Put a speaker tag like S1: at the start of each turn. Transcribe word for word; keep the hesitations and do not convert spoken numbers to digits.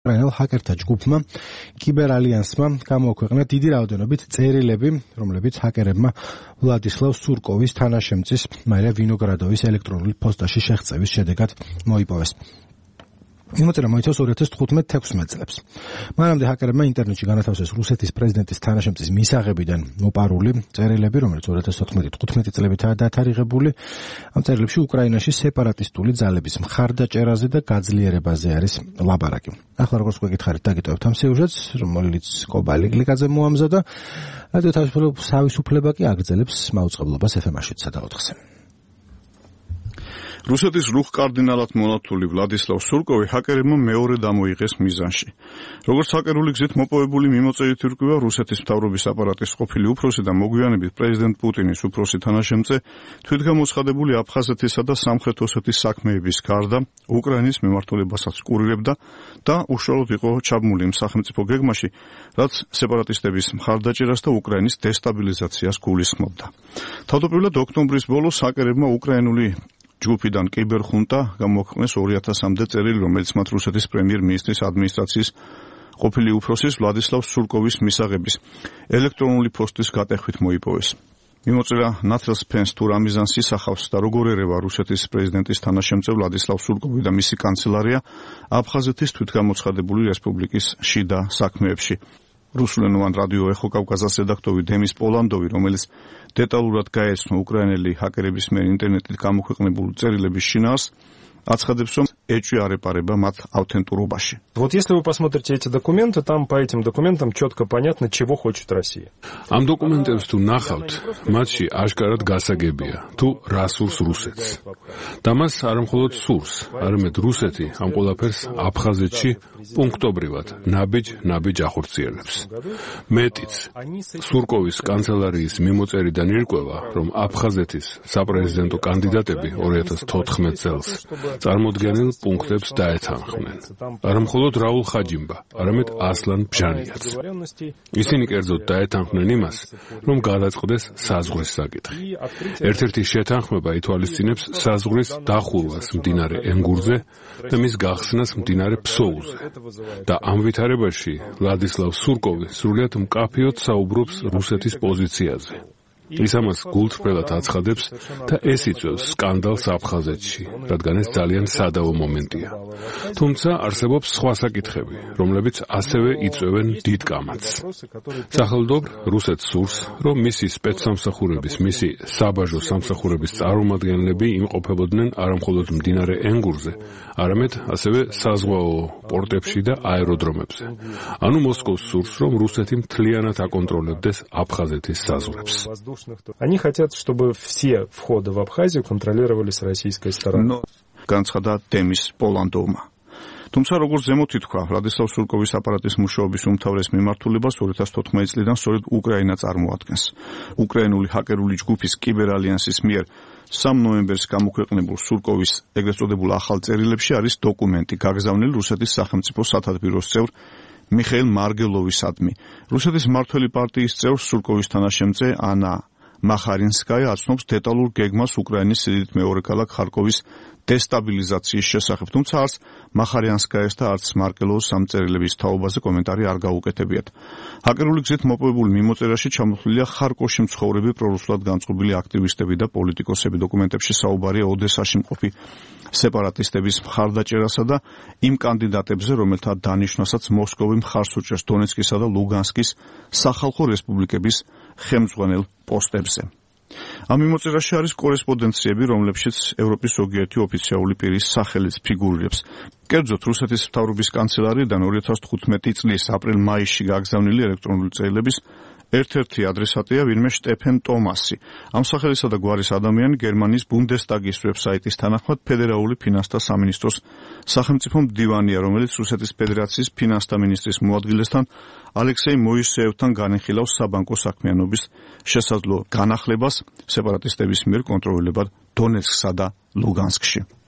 S1: უკრაინელ ჰაკერთა ჯგუფმა კიბერალიანსმა გამოაქვეყნა დიდი რაოდენობით წერილები, რომლებიც ჰაკერებმა ვლადისლავ სურკოვის თანაშემწის მარია ვინოგრადოვის ელექტრონული პოსტაში შეღწევის შედეგად მოიპოვეს. იმოწერა მოიცავს ორი ათას თხუთმეტ თექვსმეტ წლებს. მანამდე ჰაკერებმა ინტერნეტში განათავსეს რუსეთის პრეზიდენტის თანაშემწის მისაღებიდან მოპარული წერილები, რომელიც ორი ათას თოთხმეტი თხუთმეტი წლებითაა დათარიღებული. ამ წერილებში უკრაინაში სეპარატისტული ძალების მხარდაჭერაზე და გაძლიერებაზე არის ლაპარაკი. ახლა როგორც გვეკითხარით, დაგიტოვებთ ამ სიუჟეტს, რომელიც კობალი გლიკაძე მოამზადა. რადიო თავისუფლება კი აგრძელებს მაუწყებლობას ეფ ემ-ში სადა ოთხზე.
S2: რუსეთის რუხ კარდინალად მონათული ვლადისლავ სურკოვი ჰაკერებმა მეორე დამოიღეს მიზანში. როგორც ჰაკერული გზით მოპოვებული მიმოწერით ირკვევა, რუსეთის მთავრობის აპარატის ყოფილი უფროსი და მოგვიანებით პრეზიდენტ პუტინის უფროსი თანაშემწე თვითგამოცხადებული აფხაზეთისა და სამხრეთ ოსეთის საქმეების გარდა უკრაინის მიმართულებასაც კურირებდა და უშუალოდ იყო ჩაბმული იმ სახელმწიფო გეგმაში, რაც სეპარატისტების მხარდაჭერას და უკრაინის დესტაბილიზაციას გულისხმობდა. თავდაპირველად ოქტომბრის ბოლოს ჰაკერებმა უკრაინული ჯგუფიდან კიბერხუნტა გამოაქვეყნეს ორი ათასამდე წერილი, რომელიც მათ რუსეთის პრემიერ-მინისტრის ადმინისტრაციის ყოფილი უფროსის ვლადისლავ სურკოვის მისაღების ელექტრონული პოსტის გატეხვით მოიპოვეს. მიმოწერა ნათელს ფენს თუ რა მიზანს ისახავს და როგორ ერევა რუსეთის პრეზიდენტის თანაშემწე ვლადისლავ სურკოვი და მისი კანცელარია აფხაზეთის თვითგამოცხადებული რესპუბლიკის შიდა საქმეებში. რუსულენოვან რადიო ეხო კავკასიის რედაქტორი დემის პოლანდოვი, რომელიც დეტალურად გაეცნო უკრაინელი ჰაკერების მიერ ინტერნეტით გამოქვეყნებული წერილების შინაარს, აცხადებს, რომ ეჭვი არ ეპარება მათ ავთენტურობაში.
S3: Вот если вы посмотрите эти документы, там по этим документам четко понятно, чего хочет Россия.
S4: Ამ დოკუმენტებს თუ ნახავთ, მათში აშკარად გასაგებია, თუ რა სურს რუსეთს. და მას არ მხოლოდ სურს, არამედ რუსეთი ამ ყველაფერს აფხაზეთში პუნქტობრივად ნაბიჯ-ნაბიჯ ახორციელებს. მეტიც, სურკოვის კანცელარიის მიმოწერიდან ირკვევა, რომ აფხაზეთის საპრეზიდენტო კანდიდატები ორი ათას თოთხმეტ წელს წარმოდგენილ პუნქტებს დაეთანხმნენ. არა მხოლოდ რაულ ხაჯიმბა, არამედ ასლან ბჟანიაც. ისინი კერძოდ დაეთანხმნენ იმას, რომ გადაწყდეს საზღვრის საკითხი. ერთ-ერთი შეთანხმება ითვალისწინებს საზღვრის დახურვას მდინარე ენგურზე და მის გახსნას მდინარე ფსოუზე. და ამ ვითარებაში ვლადისლავ სურკოვი სრულიად მკაფიოდ საუბრობს რუსეთის პოზიციაზე. ის ამას გულწრფელად აცხადებს და ეს იწვევს სკანდალს აფხაზეთში, რადგან ეს ძალიან სადავო მომენტია. თუმცა არსებობს სხვა საკითხები, რომლებიც ასევე იწვევენ დიდ კამათს. სახელმწიფო რუსეთს სურს, რომ მისი სპეცსამსახურების, მისი საბაჟო სამსახურების წარმომადგენლები იმყოფებოდნენ არა მხოლოდ მდინარე ენგურზე, არამედ ასევე საზღვაო პორტებში და აეროდრომებზე. ანუ მოსკოვს სურს, რომ რუსეთი მთლიანად აკონტროლებდეს აფხაზეთის საზღვრებს.
S3: Они хотят, чтобы все входы в Абхазию контролировались российской стороной.
S2: განცხადა დემის პოლანდოვმა. თუმცა როგორც ზემოთ ითქვა, ვლადისლავ სურკოვის აპარატის მუშაობის უმთავრეს მიმართულებას ორი ათას თოთხმეტი წლიდან სწორედ უკრაინა წარმოადგენს. უკრაინული ჰაკერული ჯგუფის კიბერალიანსის მიერ სამ ნოემბერს გამოქვეყნებულ სურკოვის ეგრეთ წოდებულ ახალ წერილებში არის დოკუმენტი გაგზავნილი რუსეთის სახელმწიფო სათათბიროს წევრ მიხეილ მარგელოვისადმი. რუსეთის მმართველი პარტიის წევრ სურკოვის თანაშემწე ანა მახარინსკაია აცნობს დეტალურ გეგმას უკრაინის სიდიდით მეორე ქალაქ ხარკოვის დესტაბილიზაციის შესახებ, თუმცა არც მახარიანსკაიას და არც მარკელოვს ამ წერილების თაობაზე კომენტარი არ გაუკეთებიათ. ჰაკერული გზით მოპოვებულ მიმოწერაში ჩამოთვლილია ხარკოვში მცხოვრები პრორუსულად განწყობილი აქტივისტები და პოლიტიკოსები. დოკუმენტებში საუბარია ოდესაში მყოფი სეპარატისტების მხარდაჭერასა და იმ კანდიდატებზე, რომელთა დანიშვნასაც მოსკოვი მხარს უჭერს დონეცკისა და ლუგანსკის სახალხო რესპუბლიკების ხელმძღვანელ პოსტებზე. ამ მიმოწერაში არის კორესპონდენციები, რომლებშიც ევროპის ზოგიერთი ოფიციალური პირის სახელიც ფიგურირებს. კერძოდ, რუსეთის მთავრობის კანცელარიიდან ორი ათას თხუთმეტი წლის აპრილ-მაისში გაგზავნილი ელექტრონული წერილების ერთ-ერთი ადრესატია ვინმე შტეფენ ტომასი. ამ სახელისა და გვარის ადამიანი გერმანიის ბუნდესტაგის ვებსაიტის თანახმად ფედერალური ფინანსთა სამინისტროს სახელმწიფო მდივანია, რომელიც რუსეთის ფედერაციის ფინანსთა მინისტრის მოადგილესთან ალექსეი მოისეევთან განეხილავს საბანკო საქმიანობის შესაძლო განახლებას სეპარატისტების მიერ კონტროლირებად დონეცკსა და ლუგანსკში.